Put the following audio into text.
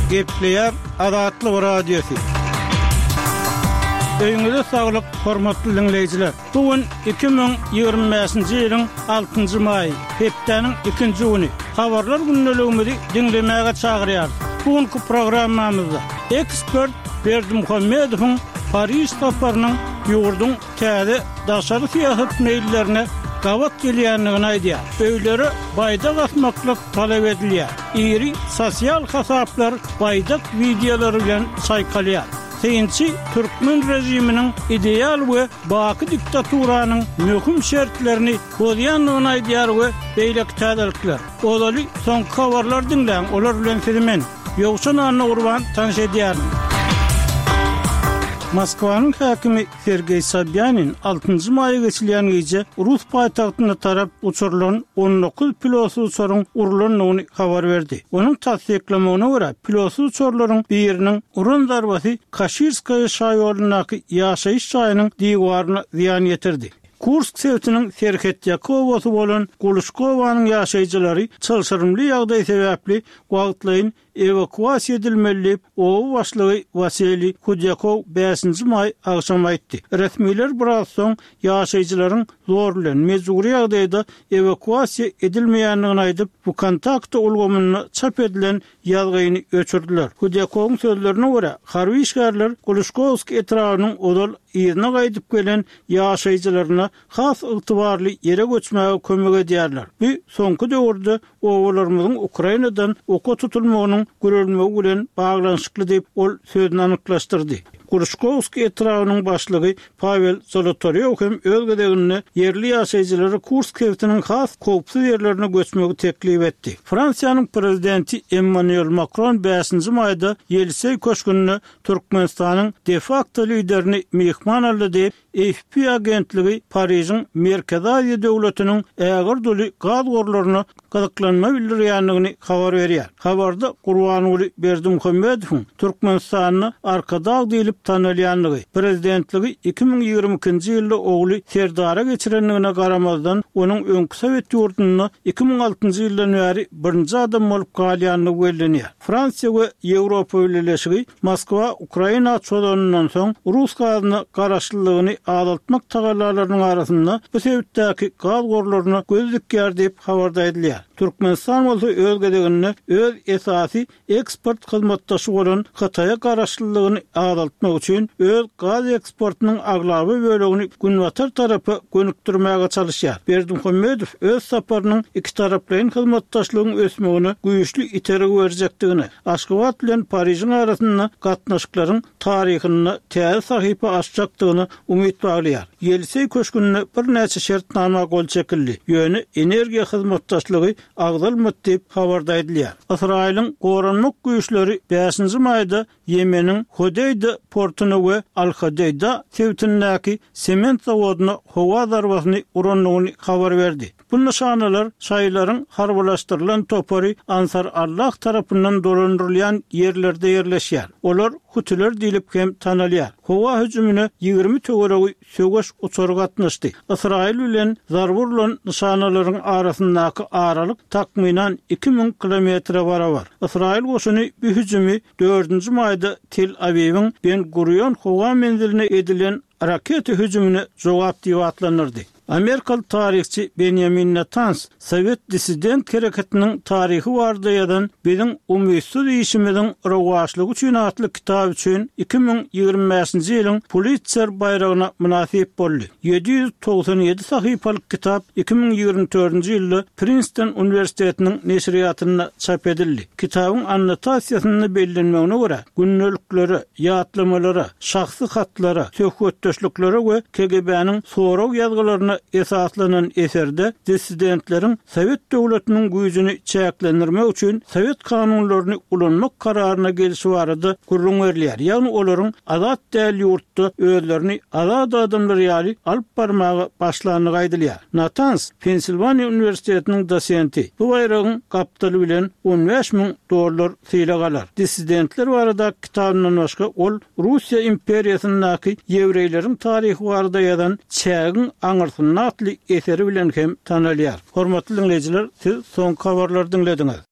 Gepleýär Azatlyk Radiosy. Öýüňize saglyk, hormatly diňleýjiler! Bu gün 2025-nji ýylyň altynjy maýy, hepdäniň ikinji güni. Habarlar gündeligimizi diňlemäge çagyrýarys. Bu günki programmamyzda ekspert Berdimuhamedowyň Pariž saparynyň ýurduň täze daşary syýasat meýillerine gabat gelýändigini aýdýar. Öýlere baýdak asmaklyk talap edilýär. Iri sosial hasaplar baýdak wideolary bilen çaýkalýar. Synçy türkmen režiminiň ideal we baky diktaturanyň möhüm şertlerini bozýandygyny aýdýar we beýleki täzelikler. Ozaly soňky habarlary diňläň, olar bilen sizi men, Ýowşan Annagurban tanyş edýärin. Moskwanyň häkimi Sergeý Sobýanin altynjy maýa geçilýän gije rus paýtagtyna tarap uçurylan 19 pilotsyz uçaryň urlandygyny habar berdi. Onuň tassyklamagyna görä, pilotsyz uçarlaryň biriniň uran zarbasy Kaşirskaýa şaýolundaky ýaşaýyş jaýynyň diwaryna zyýan ýetirdi. Kursk sebitiniň serhetýaka obasy bolan Guluşkowanyň ýaşaýjylary çylşyrymly ýagdaý sebäpli wagtlaýyn ewakuasiýa edilmeli diýip, oba başlygy Wasiliý Hudýakow bäşinji maý agşam aýtdy. Resmiler biraz soň ýaşaýjylaryň zor bilen, mejbury ýagdaýda ewakuasiýa edilmeýändigini aýdyp, Wkontakte ulgamynda çap edilen ýazgyny öçürdiler. Hudýakowyň sözlerine görä, harby işgärler Gluškowsk etrabynyň ozal yzyna gaýdyp gelen ýaşaýjylaryna has ygtybarly ýere göçmäge kömek edýärler. Bu soňky döwürde obalarymyzyň Ukrainadan oka tutulmagynyň gürelmegi bilen baglanyşykly diýip, ol sözüni anyklaşdyrdy. Gluškowsk etrabynyň başlygy Pawel Zolotarýow hem öz gezeginde ýerli ýaşaýjylara Kursk sebitiniň has howpsuz ýerlerine göçmegi teklip etdi. Fransiýanyň prezidenti Emmanuel Makron bäşinji maýda Ýeliseý köşgünde Türkmenistanyň de-fakto liderini myhman aldy diýip, AFP agentligi Parižiň Merkezi Aziýa döwletiniň ägirt uly gaz gorlaryna gyzyklanma bildirýändigini habar berýär. Habarda Gurbanguly Berdimuhamedowyň Türkmenistanda Arkadag diýlip tanalýandygy, prezidentligi 2022-nji ýylda ogly Serdara geçirendigine garamazdan, onuň öňki sowet ýurdunda 2006-njy ýyldan bäri birinji adam bolup galýandygy bellenýär. Fransiýa we Ýewropa Bileleşigi Moskwa Ukraina çozanyndan soň rus gazyna garaşlylygyny azaltmak tagallalarynyň arasynda bu sebitdäki gaz gorlaryna göz dikýär diýip, habarda aýdylýar. Türkmenistan bolsa öz gezeginde öz esasy eksport hyzmatdaşy bolan Hytaýa garaşlylygyny azaltmak üçin öz gaz eksportynyň aglaba bölegini günbatar tarapa gönükdirmäge çalyşýar. Berdimuhamedow öz saparynyň ikitaraplaýyn hyzmatdaşlygyň ösmegine güýçli itergi berjekdigine, Aşgabat bilen Parižiň arasynda gatnaşyklaryň taryhynda täze sahypa açjakdygyna umyt baglaýar. Ýeliseý köşgünde birnäçe şertnama gol çekildi, ýöne energiýa hyzmatdaşlygy agzalmady diýip, habarda aýdylýar. Ysraýylyň goranmak güýçleri bäşinji maýda Ýemeniň Hodeýda portuna we Al-Hodeýda sebitindäki sement zawodyna howa zarbasyny urandygyny habar berdi. Bu nyşanalar şaýylaryň harbylaşdyrylan topary Ansar Allah tarapyndan dolandyrylýan ýerlerde ýerleşýär. Olar hutiler diýlip hem tanalýar. Howa hüjümine 20 töweregi söweş uçary gatnaşdy. Ysraýyl bilen zarba urlan nyşanalaryň arasyndaky aralyk takmynan 2000 kilometre barabar. Ysraýyl goşuny bu hüjümi dördünji maýda Tel-Awiwiň Ben-Gurion howa menziline edilen raketa hüjümine jogap diýip atlandyrdy. Amerikaly taryhçy Benýamin Natans sowet dissident hereketiniň taryhy barada ýazan Biziň umytsyz işimiziň rowaçlygy üçin atly kitaby üçin 2025-nji ýylyň Pulitser baýragyna mynasyp boldy. 797 sahypalyk kitap 2024-nji ýylda Prinston uniwersitetiniň neşirýatynda çap edildi. Kitabyň annotasiýasynda bellenmegine görä, gündeliklere, ýatlamalara, şahsy hatlara, söhbetdeşliklere we KGB-niň sorag ýazgylaryna esaslanan eserde dissidentleriň sowet döwletiniň güýjüni çäklendirmek üçin sowet kanunlaryny ulanmak kararyna gelşi barada gürrüň berilýär, ýagny olaryň azat däl ýurtda özlerini azat adamlar ýaly alyp barmaga başlandygy aýdylýar. Natans, Pensilwaniýa uniwersitetiniň dosenti, bu baýragyň gapdaly bilen 15 000 dollar sylag alar. Dissidentler baradaky kitabyndan başga ol Russiýa imperiýasyndaky ýewreýleriň taryhy barada ýazan Çägiň aňyrsynda atly eseri bilen hem tanalýar. Hormatly diňleýjiler, siz soňky habarlary diňlediňiz.